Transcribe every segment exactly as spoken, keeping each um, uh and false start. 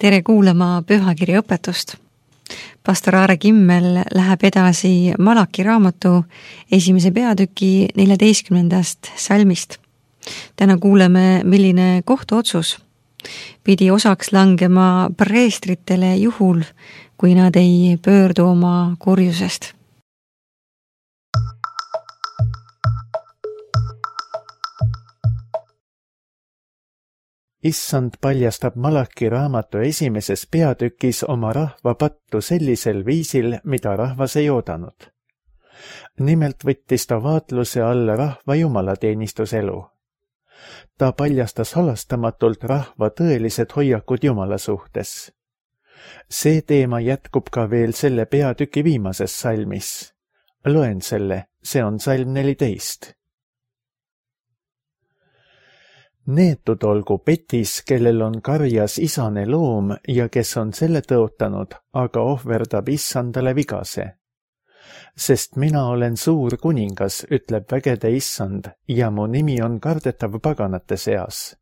Tere kuulama pühakirja õpetust. Pastor Aare Kimmel läheb edasi Malaki raamatu esimese peatüki neljateistkümnendast salmist. Täna kuuleme, milline kohtuotsus pidi osaks langema preestritele juhul, kui nad ei pöördu oma kurjusest. Issand paljastab Malaki raamatu esimeses peatükis oma rahva pattu sellisel viisil, mida rahvas ei oodanud. Nimelt võttis ta vaatluse alla rahva jumalateenistuselu. Ta paljastas halastamatult rahva tõelised hoiakud Jumala suhtes. See teema jätkub ka veel selle peatüki viimases salmis. Loen selle, see on salm neliteist. Neetud olgu petis, kellel on karjas isane loom ja kes on selle tõotanud, aga ohverdab issandale vigase. Sest mina olen suur kuningas, ütleb vägede issand, ja mu nimi on kardetav paganate seas.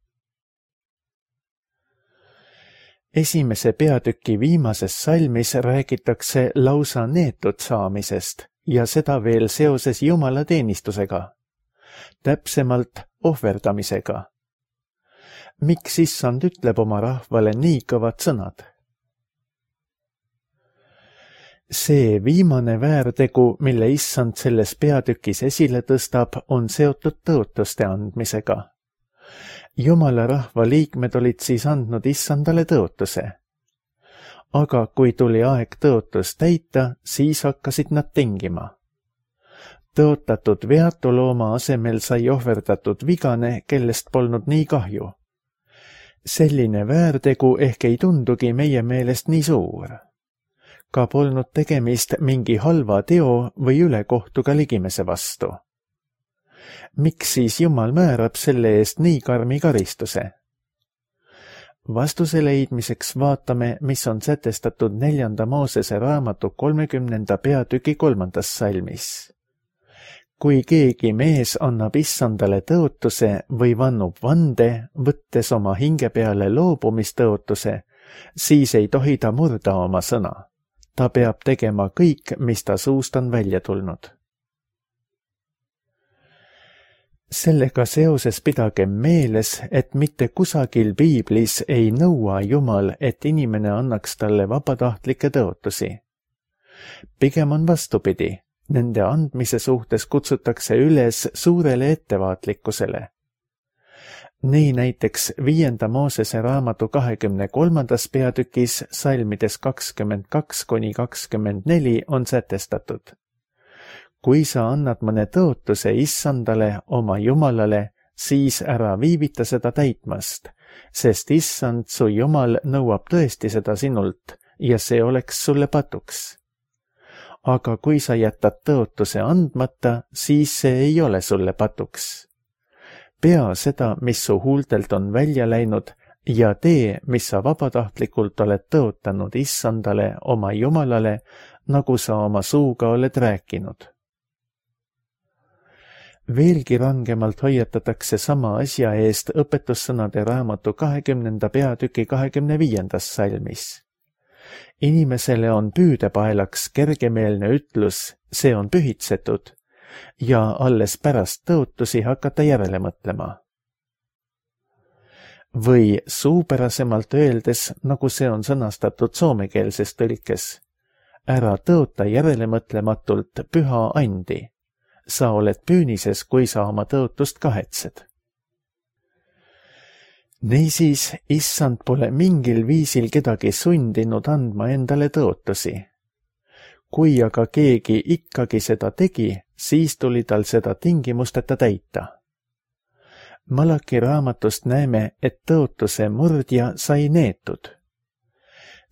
Esimese peatüki viimases salmis räägitakse lausa neetud saamisest ja seda veel seoses Jumala teenistusega, täpsemalt ohverdamisega. Miks issand ütleb oma rahvale nii kõvad sõnad? See viimane väärtegu, mille issand selles peatükis esile tõstab, on seotud tõotuste andmisega. Jumala rahva liikmed olid siis andnud issandale tõotuse. Aga kui tuli aeg tõotus täita, siis hakkasid nad tingima. Tõotatud veatu looma asemel sai ohverdatud vigane, kellest polnud nii kahju. Selline väärtegu ehk ei tundugi meie meelest nii suur. Ka polnud tegemist mingi halva teo või ülekohtuga ligimese vastu. Miks siis Jumal määrab selle eest nii karmi karistuse? Vastuse leidmiseks vaatame, mis on sätestatud neljanda Moosese raamatu kolmekümnenda peatüki kolmandas salmis. Kui keegi mees annab issandale tõotuse või vannub vande, võttes oma hinge peale loobumistõotuse, siis ei tohi ta murda oma sõna. Ta peab tegema kõik, mis ta suust on välja tulnud. Sellega seoses pidagem meeles, et mitte kusagil piiblis ei nõua Jumal, et inimene annaks talle vabatahtlikke tõotusi. Pigem on vastupidi. Nende andmise suhtes kutsutakse üles suurele ettevaatlikkusele. Nii näiteks viienda Moosese raamatu kahekümne kolmandas peatükis salmides kakskümmend kaks kuni kakskümmend neli on sätestatud. Kui sa annad mõne tõotuse issandale, oma Jumalale, siis ära viivita seda täitmast, sest issand su Jumal nõuab tõesti seda sinult ja see oleks sulle patuks. Aga kui sa jätad tõotuse andmata, siis see ei ole sulle patuks. Pea seda, mis su huultelt on välja läinud, ja tee, mis sa vabatahtlikult oled tõotanud issandale, oma Jumalale, nagu sa oma suuga oled rääkinud. Veelgi rangemalt hoiatatakse sama asja eest õpetussõnade raamatu kahekümnenda peatüki kahekümne viiendas salmis. Inimesele on püüdepaelaks kergemeelne ütlus, see on pühitsetud, ja alles pärast tõotusi hakata järele mõtlema. Või suupärasemalt öeldes, nagu see on sõnastatud soomekeelses tõlkes, ära tõota järele mõtlematult püha andi. Sa oled püünises, kui sa oma tõotust kahetsed. Niisiis, issand pole mingil viisil kedagi sundinud andma endale tõotusi. Kui aga keegi ikkagi seda tegi, siis tuli tal seda tingimusteta täita. Malaki raamatust näeme, et tõotuse murdja sai neetud.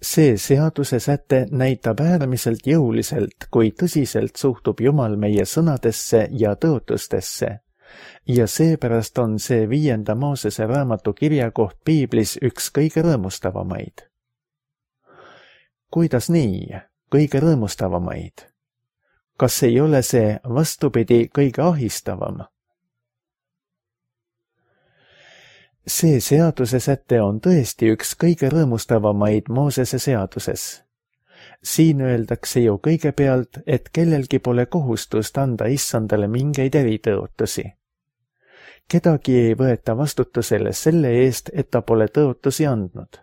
See seaduse säte näitab äärmiselt jõuliselt, kui tõsiselt suhtub Jumal meie sõnadesse ja tõotustesse. Ja seepärast on see viienda Moosese raamatu kirjakoht piiblis üks kõige rõõmustavamaid. Kuidas nii, kõige rõõmustavamaid? Kas ei ole see vastupidi kõige ahistavam? see seaduse säte on tõesti üks kõige rõõmustavamaid Moosese seaduses. Siin öeldakse ju kõigepealt, et kellelgi pole kohustust anda issandale mingeid eritõotusi. Kedagi ei võeta vastutusele selle eest, et ta pole tõotusi andnud.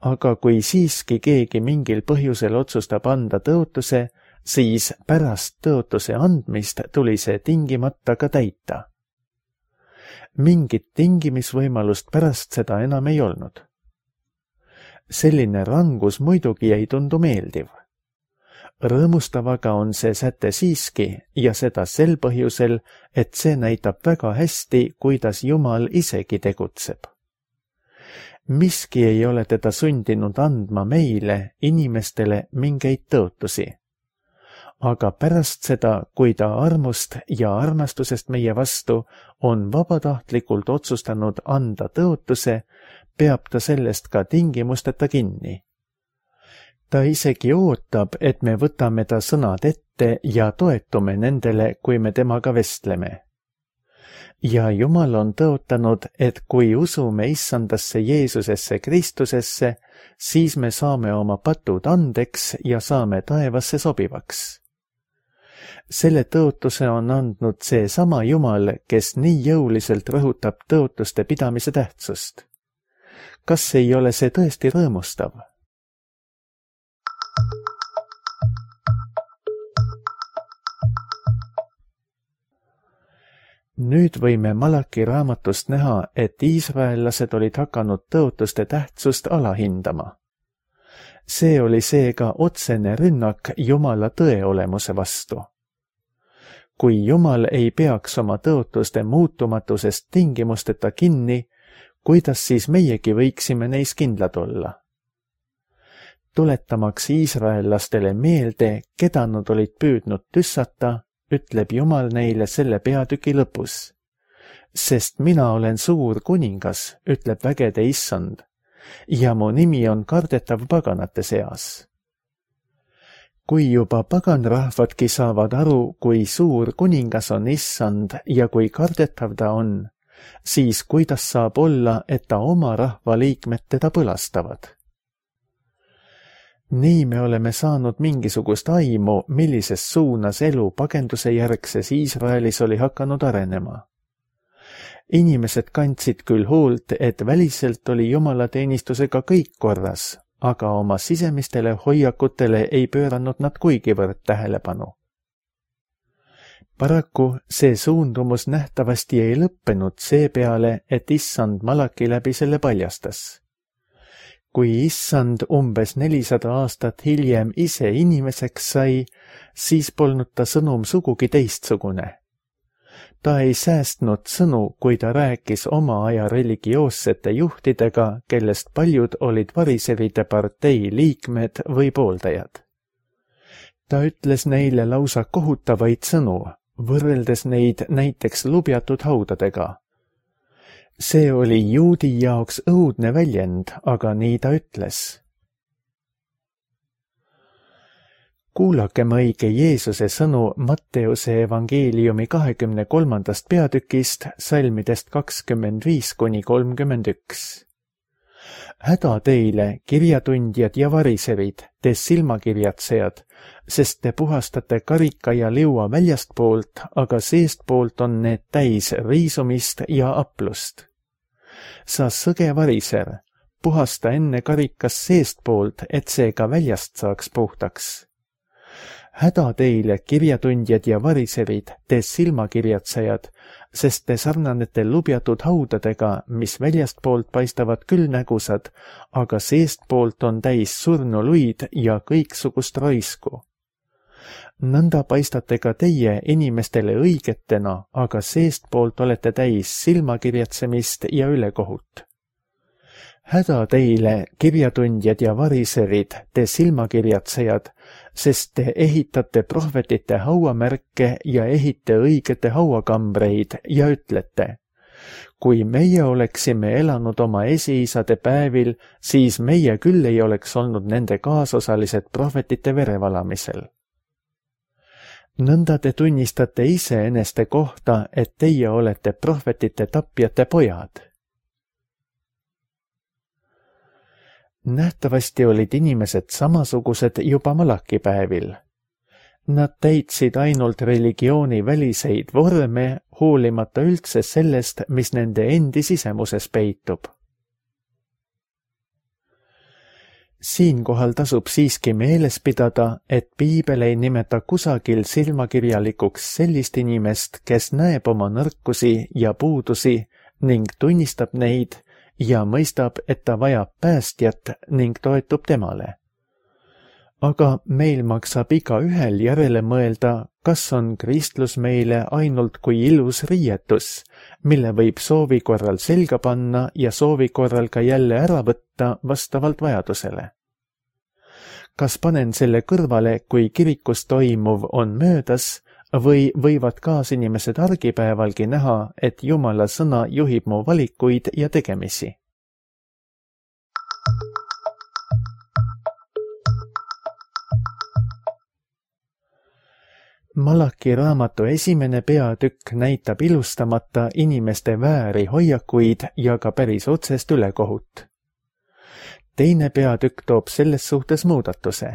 Aga kui siiski keegi mingil põhjusel otsustab anda tõotuse, siis pärast tõotuse andmist tuli see tingimata ka täita. Mingit tingimisvõimalust pärast seda enam ei olnud. Selline rangus muidugi ei tundu meeldiv. Rõõmustav aga on see säte siiski ja seda sel põhjusel, et see näitab väga hästi, kuidas Jumal isegi tegutseb. Miski ei ole teda sundinud andma meile, inimestele, mingeid tõotusi. Aga pärast seda, kui ta armust ja armastusest meie vastu on vabatahtlikult otsustanud anda tõotuse, peab ta sellest ka tingimusteta kinni. Ta isegi ootab, et me võtame ta sõnad ette ja toetume nendele, kui me temaga vestleme. Ja Jumal on tõotanud, et kui usume issandasse Jeesusesse Kristusesse, siis me saame oma patud andeks ja saame taevasse sobivaks. Selle tõotuse on andnud see sama Jumal, kes nii jõuliselt rõhutab tõotuste pidamise tähtsust. Kas ei ole see tõesti rõõmustav? Nüüd võime Malaki raamatust näha, et iisraellased olid hakanud tõotuste tähtsust alahindama. See oli seega otsene rünnak Jumala tõeolemuse vastu. Kui Jumal ei peaks oma tõotuste muutumatusest tingimusteta kinni, kuidas siis meiegi võiksime neis kindlad olla? Tuletamaks iisraellastele meelde, keda nad olid püüdnud tüssata, ütleb Jumal neile selle peatüki lõpus. Sest mina olen suur kuningas, ütleb vägede issand, ja mu nimi on kardetav paganate seas. Kui juba paganrahvadki saavad aru, kui suur kuningas on issand ja kui kardetav ta on, siis kuidas saab olla, et ta oma rahva liikmed teda põlastavad? Nii me oleme saanud mingisugust aimu, millises suunas elu pagenduse järgses Iisraelis oli hakanud arenema. Inimesed kandsid küll hoolt, et väliselt oli jumalateenistusega kõik korras, aga oma sisemistele hoiakutele ei pööranud nad kuigivõrd tähelepanu. Paraku see suundumus nähtavasti ei lõppenud seepeale, et issand Malaki läbi selle paljastas. Kui issand umbes nelisada aastat hiljem ise inimeseks sai, siis polnud ta sõnum sugugi teistsugune. Ta ei säästnud sõnu, kui ta rääkis oma aja religioossete juhtidega, kellest paljud olid variseride partei liikmed või pooldajad. Ta ütles neile lausa kohutavaid sõnu, võrreldes neid näiteks lubjatud haudadega. See oli juudi jaoks õudne väljend, aga nii ta ütles. Kuulakem õige Jeesuse sõnu Matteuse evangeeliumi kahekümne kolmandast peatükist, salmidest kakskümmend viis kuni kolmkümmend üks. Häda teile, kirjatundjad ja variserid, te silmakirjatsejad, sest te puhastate karika ja liua väljastpoolt, aga seestpoolt on need täis riisumist ja aplust. Sa sõge variser, puhasta enne karikas seestpoolt, et see ka väljast saaks puhtaks. Häda teile, kirjatundjad ja variserid, te silmakirjatsejad, sest te sarnanete lubjatud haudadega, mis väljastpoolt paistavad küll nägusad, aga seestpoolt on täis surnuluid ja kõiksugust raisku. Nõnda paistate ka teie inimestele õigetena, aga seestpoolt olete täis silmakirjatsemist ja ülekohut. Häda teile, kirjatundjad ja variserid, te silmakirjatsejad, sest te ehitate prohvetite hauamärke ja ehite õigete hauakambreid ja ütlete, kui meie oleksime elanud oma esiisade päevil, siis meie küll ei oleks olnud nende kaasosalised prohvetite verevalamisel. Nõnda te tunnistate iseeneste kohta, et teie olete prohvetite tapjate pojad. nähtavasti olid inimesed samasugused juba malakipäevil. Nad täitsid ainult religiooni väliseid vorme, hoolimata üldse sellest, mis nende endi sisemuses peitub. Siinkohal tasub siiski meeles pidada, et piibel ei nimeta kusagil silmakirjalikuks sellist inimest, kes näeb oma nõrkusi ja puudusi ning tunnistab neid ja mõistab, et ta vajab päästjat ning toetub temale. Aga meil maksab igaühel järele mõelda, kas on kristlus meile ainult kui ilus riietus, mille võib soovi korral selga panna ja soovi korral ka jälle ära võtta vastavalt vajadusele. Kas panen selle kõrvale, kui kirikus toimuv on möödas, või võivad kaasinimesed argipäevalgi näha, et Jumala sõna juhib mu valikuid ja tegemisi? Malaki raamatu esimene peatükk näitab ilustamata inimeste vääri hoiakuid ja ka päris otsest ülekohut. Teine peatükk toob selles suhtes muudatuse.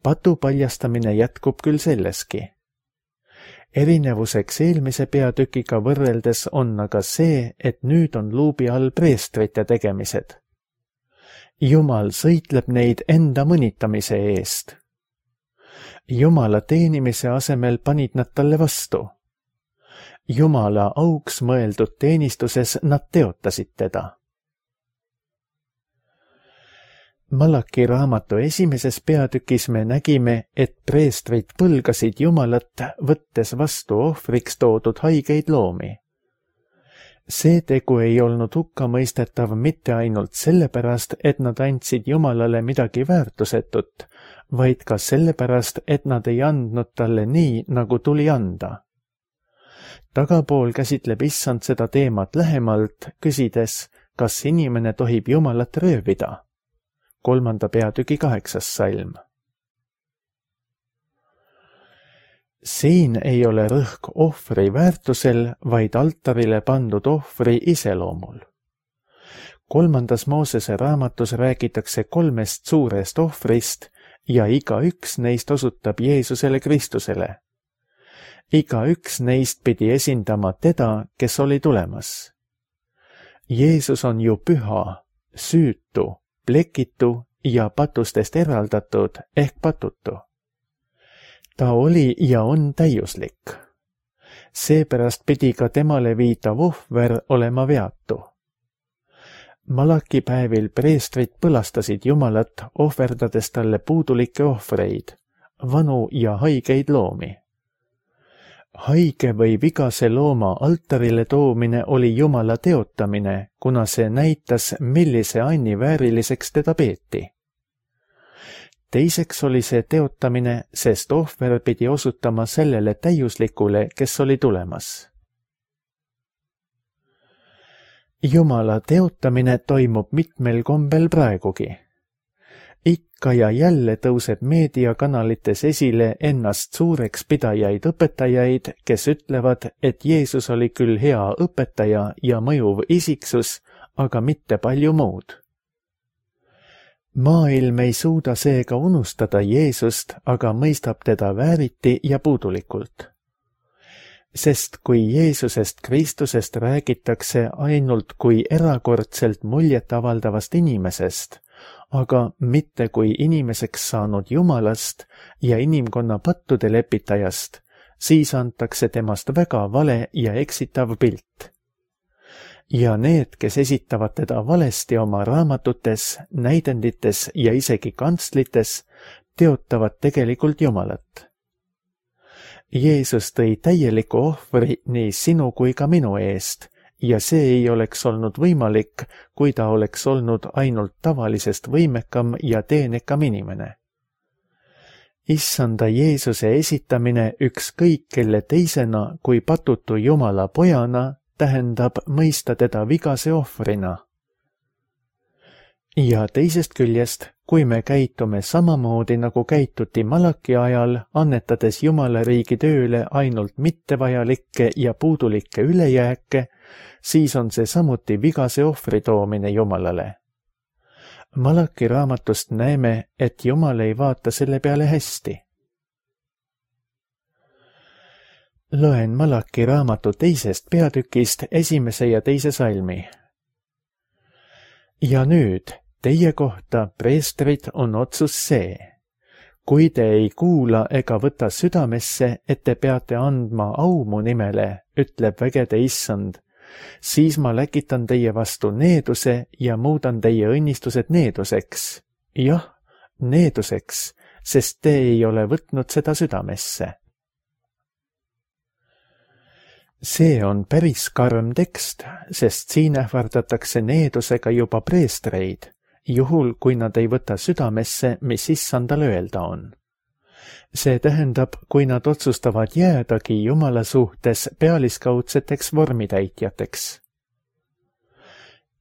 Patu paljastamine jätkub küll selleski. Erinevuseks eelmise peatükiga võrreldes on aga see, et nüüd on luubi all preestrite tegemised. Jumal sõitleb neid enda mõnitamise eest. Jumala teenimise asemel panid nad talle vastu. Jumala auks mõeldud teenistuses nad teotasid teda. Malaki raamatu esimeses peatükis me nägime, et preestrid põlgasid Jumalat, võttes vastu ohvriks toodud haigeid loomi. See tegu ei olnud hukkamõistetav mitte ainult sellepärast, et nad andsid Jumalale midagi väärtusetut, vaid ka sellepärast, et nad ei andnud talle nii, nagu tuli anda. Tagapool käsitleb issand seda teemat lähemalt, küsides, kas inimene tohib Jumalat röövida. Kolmanda peatüki kaheksas salm. Siin ei ole rõhk ohvri väärtusel, vaid altarile pandud ohvri iseloomul. Kolmandas Moosese raamatus räägitakse kolmest suurest ohvrist ja igaüks neist osutab Jeesusele Kristusele. Igaüks neist pidi esindama teda, kes oli tulemas. Jeesus on ju püha, süütu, plekitu ja patustest eraldatud ehk patutu. Ta oli ja on täiuslik. Seepärast pidi ka temale viitav ohver olema veatu. Malakipäevil preestrid põlastasid Jumalat, ohverdades talle puudulikke ohvreid, vanu ja haigeid loomi. Haige või vigase looma altarile toomine oli Jumala teotamine, kuna see näitas, millise anni vääriliseks teda peeti. Teiseks oli see teotamine, sest ohver pidi osutama sellele täiuslikule, kes oli tulemas. Jumala teotamine toimub mitmel kombel praegugi. Ikka ja jälle tõuseb meediakanalites esile ennast suureks pidajaid õpetajaid, kes ütlevad, et Jeesus oli küll hea õpetaja ja mõjuv isiksus, aga mitte palju muud. Maailm ei suuda seega unustada Jeesust, aga mõistab teda vääriti ja puudulikult. Sest kui Jeesusest Kristusest räägitakse ainult kui erakordselt muljet avaldavast inimesest, aga mitte kui inimeseks saanud Jumalast ja inimkonna pattude lepitajast, siis antakse temast väga vale ja eksitav pilt. Ja need, kes esitavad teda valesti oma raamatutes, näidendites ja isegi kantslites, teotavad tegelikult Jumalat. Jeesus tõi täieliku ohvri nii sinu kui ka minu eest, ja see ei oleks olnud võimalik, kui ta oleks olnud ainult tavalisest võimekam ja teenekam inimene. Issanda Jeesuse esitamine ükskõik kelle teisena kui patutu Jumala pojana tähendab mõista teda vigase ohvrina. Ja teisest küljest, kui me käitume samamoodi nagu käituti Malaki ajal, annetades Jumala riigi tööle ainult mittevajalikke ja puudulikke ülejääke, siis on see samuti vigase ohvri toomine Jumalale. Malaki raamatust näeme, et Jumal ei vaata selle peale hästi. Loen Malaki raamatu teisest peatükist esimese ja teise salmi. Ja nüüd, teie kohta, preestrid, on otsus see. Kui te ei kuula ega võta südamesse, et te peate andma au mu nimele, ütleb vägede issand, siis ma läkitan teie vastu needuse ja muudan teie õnnistused needuseks. Jah, needuseks, sest te ei ole võtnud seda südamesse. See on päris karm tekst, sest siin ähvardatakse needusega juba preestreid, juhul kui nad ei võta südamesse, mis issandal öelda on. See tähendab, kui nad otsustavad jäädagi Jumala suhtes pealiskaudseteks vormitäitjateks.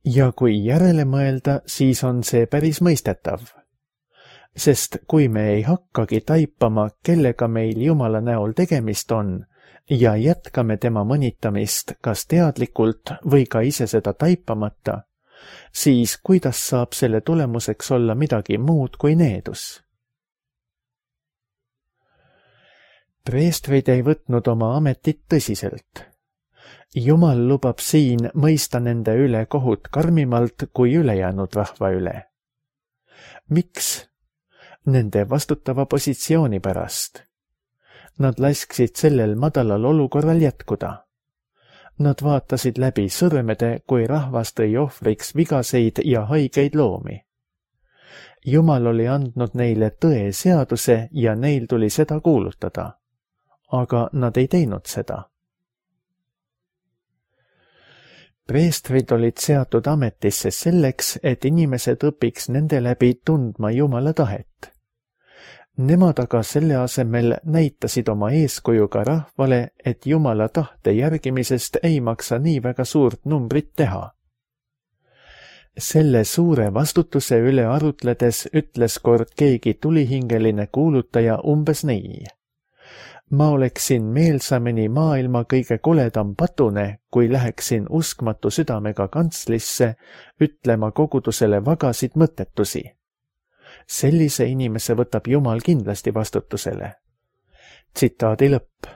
Ja kui järele mõelda, siis on see päris mõistetav. Sest kui me ei hakkagi taipama, kellega meil Jumala näol tegemist on, ja jätkame tema mõnitamist kas teadlikult või ka ise seda taipamata, siis kuidas saab selle tulemuseks olla midagi muud kui needus? Preestrid ei võtnud oma ametit tõsiselt. Jumal lubab siin mõista nende üle kohut karmimalt kui ülejäänud rahva üle. Miks? Nende vastutava positsiooni pärast. Nad lasksid sellel madalal olukorral jätkuda. Nad vaatasid läbi sõrmede, kui rahvas tõi ohvriks vigaseid ja haigeid loomi. Jumal oli andnud neile tõe seaduse ja neil tuli seda kuulutada. Aga nad ei teinud seda. Preestrid olid seatud ametisse selleks, et inimesed õpiks nende läbi tundma Jumala tahet. Nemad aga selle asemel näitasid oma eeskujuga rahvale, et Jumala tahte järgimisest ei maksa nii väga suurt numbrit teha. Selle suure vastutuse üle arutledes ütles kord keegi tulihingeline kuulutaja umbes nii. Ma oleksin meelsameni maailma kõige koledam patune, kui läheksin uskmatu südamega kantslisse, ütlema kogudusele vagasid mõttetusi. Sellise inimese võtab Jumal kindlasti vastutusele. Tsitaadi lõpp.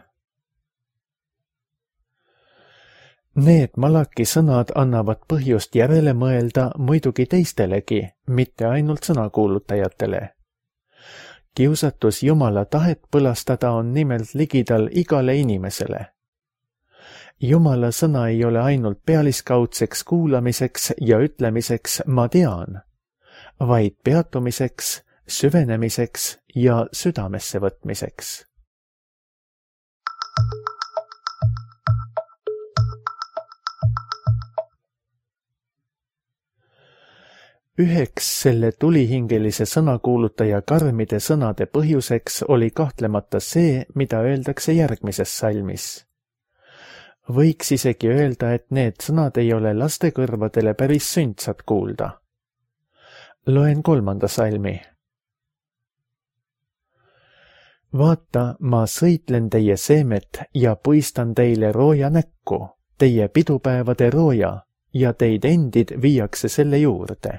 Need Malaki sõnad annavad põhjust järele mõelda muidugi teistelegi, mitte ainult sõnakuulutajatele. Kiusatus Jumala tahet põlastada on nimelt ligidal igale inimesele. Jumala sõna ei ole ainult pealiskaudseks kuulamiseks ja ütlemiseks ma tean, vaid peatumiseks, süvenemiseks ja südamesse võtmiseks. Üheks selle tulihingelise sõnakuulutaja karmide sõnade põhjuseks oli kahtlemata see, mida öeldakse järgmises salmis. Võiks isegi öelda, et need sõnad ei ole laste kõrvadele päris sündsad kuulda. Loen kolmanda salmi. Vaata, ma sõitlen teie seemet ja puistan teile rooja näkku, teie pidupäevade rooja, ja teid endid viiakse selle juurde.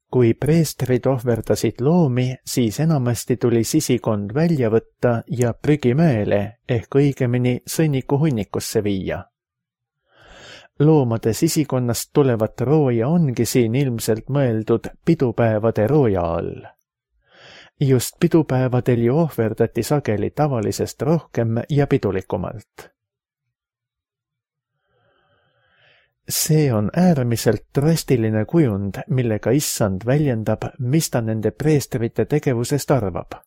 Kui preestrid ohverdasid loomi, siis enamasti tuli sisikond välja võtta ja prügimäele ehk õigemini sõnniku hunnikusse viia. Loomade sisikonnast tulevat rooja ongi siin ilmselt mõeldud pidupäevade rooja all. Just pidupäevadel ju ohverdati sageli tavalisest rohkem ja pidulikumalt. See on äärmiselt drastiline kujund, millega issand väljendab, mis ta nende preestrite tegevusest arvab.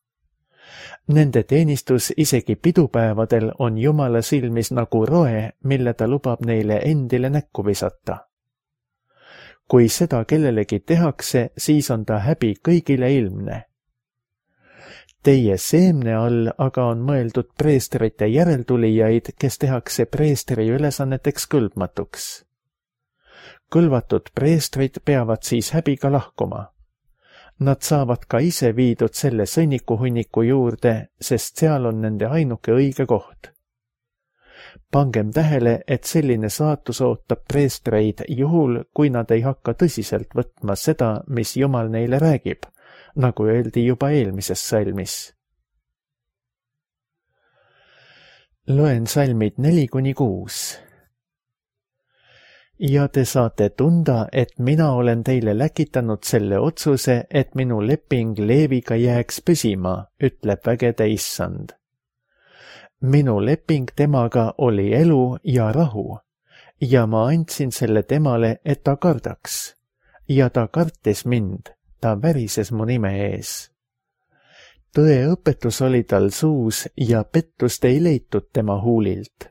Nende teenistus isegi pidupäevadel on Jumala silmis nagu roe, mille ta lubab neile endile näkku visata. Kui seda kellelegi tehakse, siis on ta häbi kõigile ilmne. Teie seemne all aga on mõeldud preestrite järeltulijaid, kes tehakse preestri ülesanneteks kõlbmatuks. Kõlvatud preestrid peavad siis häbiga lahkuma. Nad saavad ka ise viidud selle sõnnikuhunniku juurde, sest seal on nende ainuke õige koht. Pangem tähele, et selline saatus ootab preestreid juhul, kui nad ei hakka tõsiselt võtma seda, mis Jumal neile räägib, nagu öeldi juba eelmises salmis. Loen salmid neli kuni kuus. Ja te saate tunda, et mina olen teile läkitanud selle otsuse, et minu leping Leeviga jääks püsima, ütleb vägede issand. Minu leping temaga oli elu ja rahu, ja ma andsin selle temale, et ta kardaks. Ja ta kartis mind, ta värises mu nime ees. Tõe õpetus oli tal suus ja pettust ei leitud tema huulilt.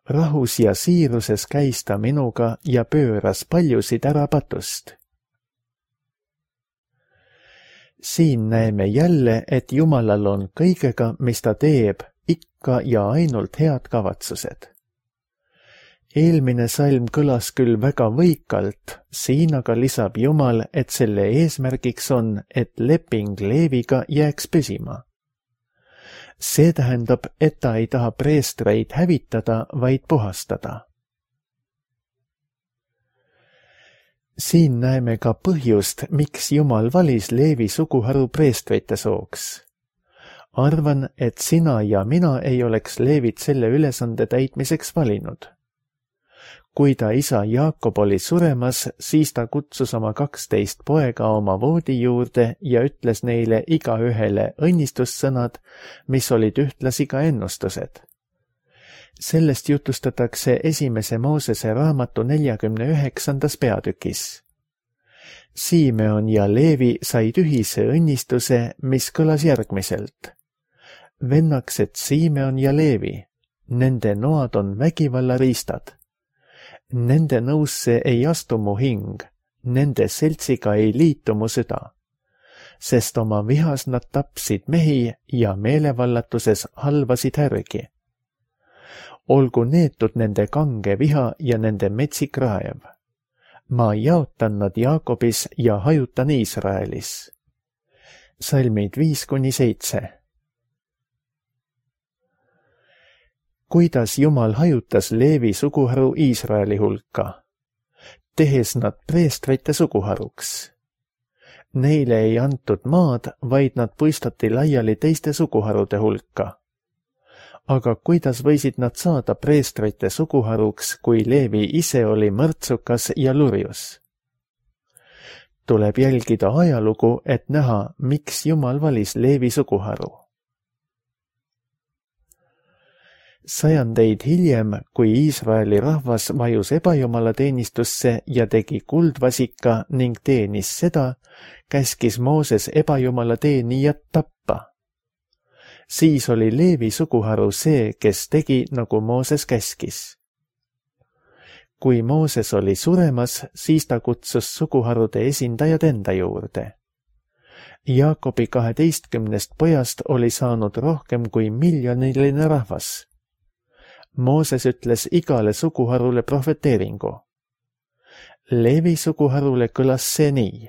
Rahus ja siiruses käis ta minuga ja pööras paljusid ära patust. Siin näeme jälle, et Jumalal on kõigega, mis ta teeb, ikka ja ainult head kavatsused. Eelmine salm kõlas küll väga võikalt, siin aga lisab Jumal, et selle eesmärgiks on, et leping Leeviga jääks püsima. See tähendab, et ta ei taha preestreid hävitada, vaid puhastada. Siin näeme ka põhjust, miks Jumal valis Leevi suguharu preestrite sooks. Arvan, et sina ja mina ei oleks Leevit selle ülesande täitmiseks valinud. Kui ta isa Jaakob oli suremas, siis ta kutsus oma kaksteist poega oma voodi juurde ja ütles neile igaühele õnnistussõnad, mis olid ühtlasi ka ennustused. Sellest jutustatakse esimese Moosese raamatu neljakümne üheksandas peatükis. Simeon ja Leevi said ühise õnnistuse, mis kõlas järgmiselt. Vennaksed Simeon ja Leevi, nende noad on vägivallariistad. Nende nõusse ei astu mu hing, nende seltsiga ei liitu mu süda, sest oma vihas nad tapsid mehi ja meelevallatuses halvasid härgi. Olgu neetud nende kange viha ja nende metsik raev. Ma jaotan nad Jaakobis ja hajutan Iisraelis. Salmid viis kuni seitse. Kuidas Jumal hajutas Leevi suguharu Iisraeli hulka, tehes nad preestrite suguharuks. Neile ei antud maad, vaid nad puistati laiali teiste suguharude hulka. Aga kuidas võisid nad saada preestrite suguharuks, kui Leevi ise oli mõrtsukas ja lurjus? Tuleb jälgida ajalugu, et näha, miks Jumal valis Leevi suguharu. Sajandeid hiljem, kui Iisraeli rahvas vajus ebajumalateenistusse ja tegi kuldvasika ning teenis seda, käskis Mooses ebajumalaateenijat tappa. Siis oli Leevi suguharu see, kes tegi, nagu Mooses käskis. Kui Mooses oli suremas, siis ta kutsus suguharude esindajad enda juurde. Jaakobi kaheteistkümnest pojast oli saanud rohkem kui miljoniline rahvas. Mooses ütles igale suguharule prohveteeringu. Leevi suguharule kõlas see nii.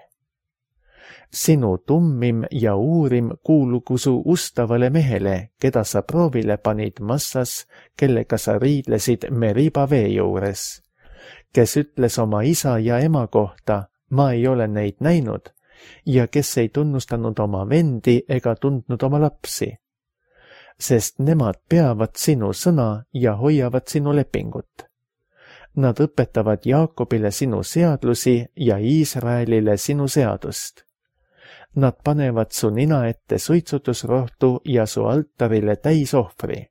Sinu tummim ja uurim kuulugu su ustavale mehele, keda sa proovile panid massas, kellega sa riidlesid Meriba vee juures, kes ütles oma isa ja ema kohta, ma ei ole neid näinud, ja kes ei tunnustanud oma vendi ega tundnud oma lapsi. Sest nemad peavad sinu sõna ja hoiavad sinu lepingut. Nad õpetavad Jaakobile sinu seadlusi ja Iisraelile sinu seadust. Nad panevad su nina ette suitsutusrohtu ja su altarile täisohvri.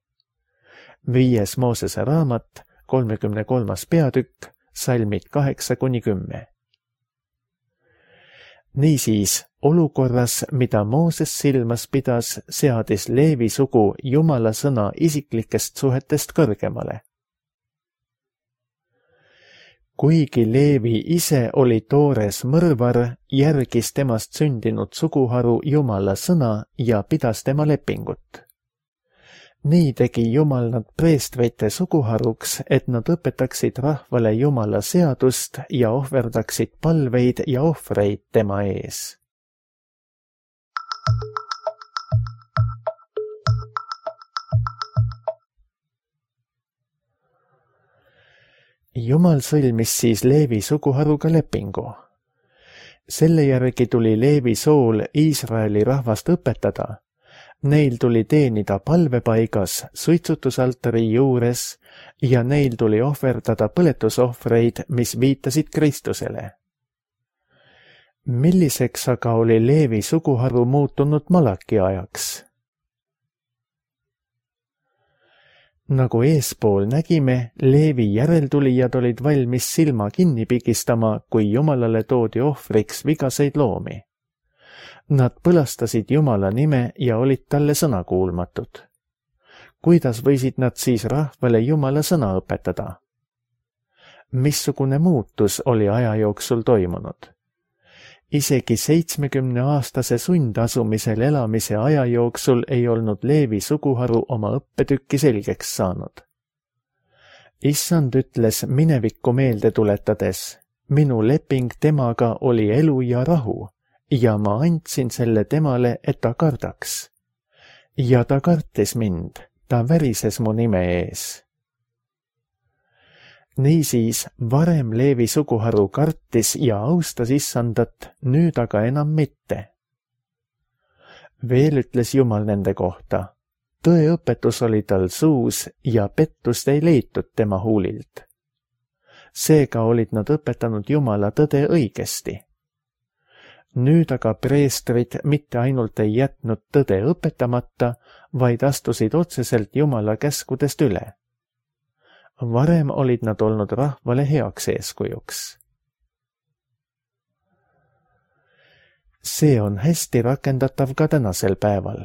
Viies Moosese raamat, kolmekümne kolmas peatükk, salmid kaheksa kuni kümme. Niisiis, olukorras, mida Mooses silmas pidas, seadis Leevi sugu Jumala sõna isiklikest suhetest kõrgemale. Kuigi Leevi ise oli toores mõrvar, järgis temast sündinud suguharu Jumala sõna ja pidas tema lepingut. Nii tegi Jumal nad preestrite suguharuks, et nad õpetaksid rahvale Jumala seadust ja ohverdaksid palveid ja ohvreid tema ees. Jumal sõlmis siis Leevi suguharuga lepingu. Selle järgi tuli Leevi sool Iisraeli rahvast õpetada. Neil tuli teenida palvepaigas suitsutusaltari juures ja neil tuli ohverdada põletusohvreid, mis viitasid Kristusele. Milliseks aga oli Leevi suguharu muutunud Malaki ajaks? Nagu eespool nägime, Leevi järeltulijad olid valmis silma kinni pigistama, kui Jumalale toodi ohvriks vigaseid loomi. Nad põlastasid Jumala nime ja olid talle sõnakuulmatud. Kuidas võisid nad siis rahvale Jumala sõna õpetada? Missugune muutus oli aja jooksul toimunud? Isegi seitsmekümneaastase sundasumisel elamise aja jooksul ei olnud Leevi suguharu oma õppetükki selgeks saanud. Issand ütles minevikku meelde tuletades, minu leping temaga oli elu ja rahu ja ma andsin selle temale, et ta kardaks. Ja ta kartis mind, ta värises mu nime ees. Niisiis, varem Leevi suguharu kartis ja austas Issandat, nüüd aga enam mitte. Veel ütles Jumal nende kohta, tõeõpetus oli tal suus ja pettust ei leitud tema huulilt. Seega olid nad õpetanud Jumala tõde õigesti. Nüüd aga preestrid mitte ainult ei jätnud tõde õpetamata, vaid astusid otseselt Jumala käskudest üle. Varem olid nad olnud rahvale heaks eeskujuks. See on hästi rakendatav ka tänasel päeval.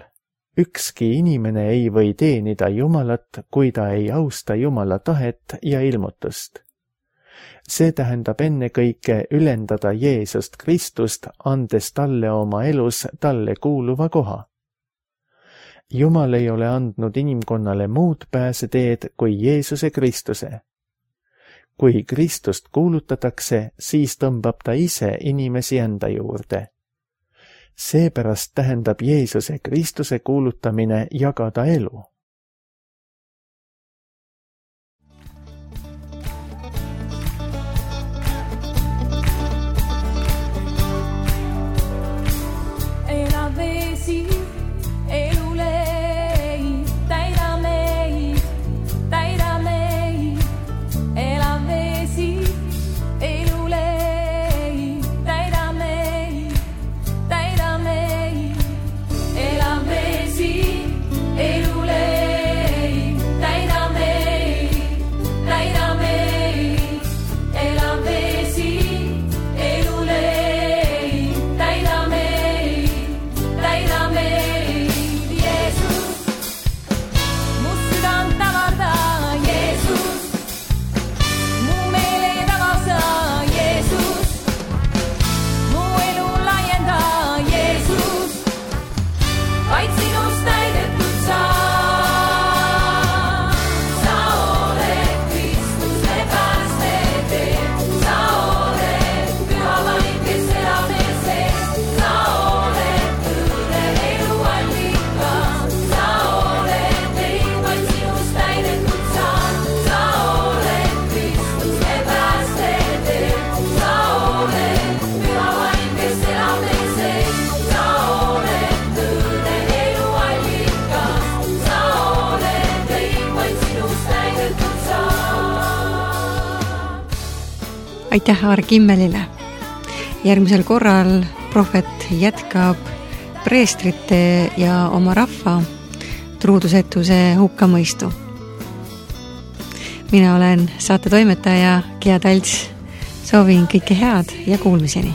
Ükski inimene ei või teenida Jumalat, kui ta ei austa Jumala tahet ja ilmutust. See tähendab ennekõike ülendada Jeesust Kristust, andes talle oma elus talle kuuluva koha. Jumal ei ole andnud inimkonnale muud pääseteed kui Jeesuse Kristuse. Kui Kristust kuulutatakse, siis tõmbab ta ise inimesi enda juurde. Seepärast tähendab Jeesuse Kristuse kuulutamine jagada elu. Aitäh Aare Kimmelile. Järgmisel korral prohvet jätkab preestrite ja oma rahva truudusetuse hukkamõistu. Mina olen saate toimetaja Gea Talts. Soovin kõike head ja kuulmiseni.